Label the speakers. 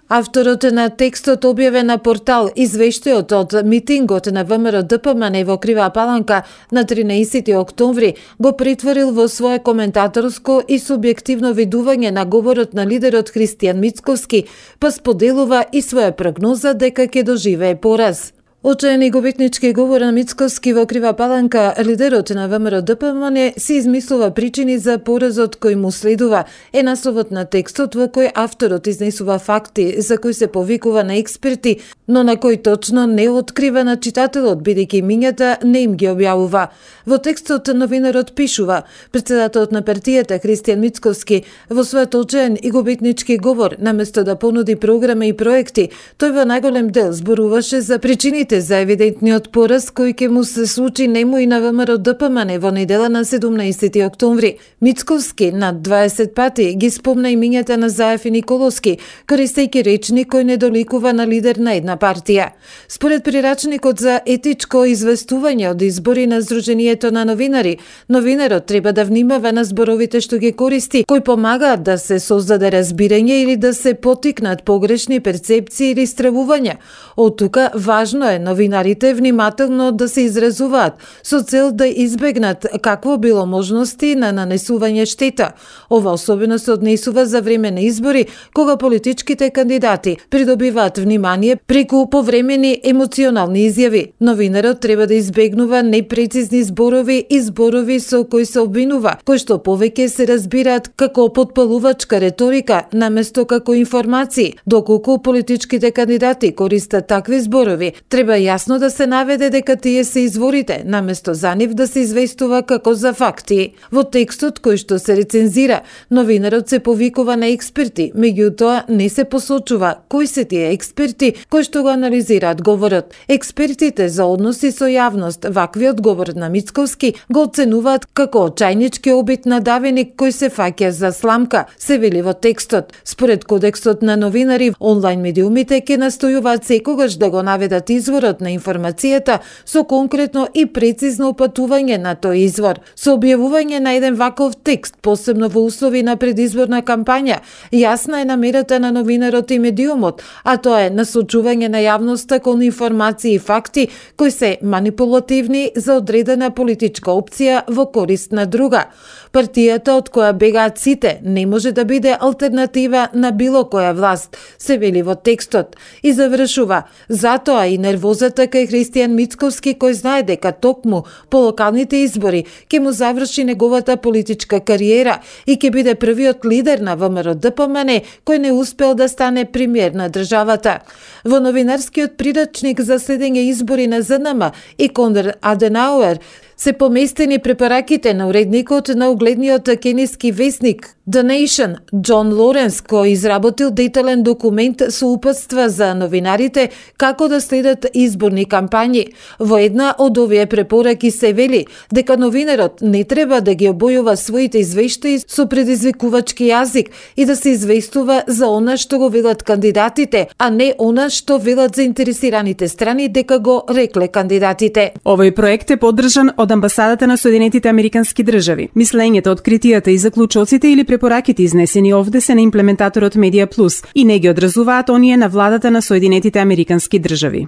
Speaker 1: Авторот на текстот објавен на портал извештајот од митингот на ВМРО-ДПМН во Крива Паланка на 13 октомври го претворил во свое коментаторско и субјективно видување на говорот на лидерот Христијан Мицковски, па споделува и своја прогноза дека ќе доживее пораз. Очаен и губитнички говор на Мицковски во Крива Паланка, лидерот на ВМРО-ДПМН си измислува причини за поразот кој му следува, е насловот на текстот во кој авторот изнесува факти за кои се повикува на експерти, но на кој точно не открива на читателот, бидејќи имињата не им ги објавува. Во текстот новинарот пишува: председателот на партијата Христијан Мицковски во својот очаен и губитнички говор, наместо да понуди програма и проекти, тој во најголем дел зборуваше за причините за евидентниот пораз кој ќе му се случи нему и на ВМРО-ДПМН во недела на 17 октомври. Мицковски над 20 пати ги спомна имињата на Заев и Николовски, користејќи речник кој не доликува на лидер на една партија. Според прирачникот за етичко известување од избори на Сдруженијето на новинари, новинарот треба да внимава на зборовите што ги користи, кои помагаат да се создаде разбирање или да се потикнат погрешни перцепции или стравувања. Од тука важно е новинарите внимателно да се изразуваат со цел да избегнат какво било можности на нанесување штета. Ова особено се однесува за време на избори, кога политичките кандидати придобиваат внимание преку повремени емоционални изјави. Новинарот треба да избегнува непрецизни зборови и зборови со кои се обвинува, кои што повеќе се разбираат како потпалувачка реторика наместо како информации. Доколку политичките кандидати користат такви зборови, треба јасно да се наведе дека тие се изворите, наместо за нив да се известува како за факти. Во текстот кој што се рецензира, новинарот се повикува на експерти, меѓутоа не се посочува кои се тие експерти кои што го анализираат говорот. Експертите за односи со јавност ваквиот говор на Мицковски го оценуваат како очајнички обид на давеник кој се фаќа за сламка, се вели во текстот. Според кодексот на новинари, онлайн медиумите ќе настојуваат секогаш да го наведат изворот на информацијата со конкретно и прецизно упатување на тој извор. Со објавување на еден ваков текст, посебно во услови на предизборна кампања, јасна е намерата на новинарот и медиумот, а тоа е насочување на јавноста кон информации и факти кои се манипулативни за одредена политичка опција во корист на друга. Партијата од која бегаат сите не може да биде алтернатива на било која власт, се вели во текстот. И завршува: затоа и нервозата кај Христијан Мицковски, кој знае дека токму по локалните избори ќе му заврши неговата политичка кариера и ќе биде првиот лидер на ВМРО-ДПМН кој не успел да стане премиер на државата. Во новинарскиот прирачник за следење избори на ЗНМ и Конрад Аденауер се поместени препараките на уредникот на угледниот кениски весник The Nation, Џон Лоренс, кој изработил детален документ со упатства за новинарите како да следат изборни кампањи. Во една од овие препораки се вели дека новинарот не треба да ги обојува своите извештаи со предизвикувачки јазик и да се известува за она што го велат кандидатите, а не она што велат заинтересираните страни дека го рекле кандидатите.
Speaker 2: Овој проект е поддржан од Амбасадата на Соединетите Американски држави. Мислењето, откритијата и заклучоците или препораките изнесени овде се на имплементаторот Медија Плюс и не ги одразуваат оние на владата на Соединетите Американски држави.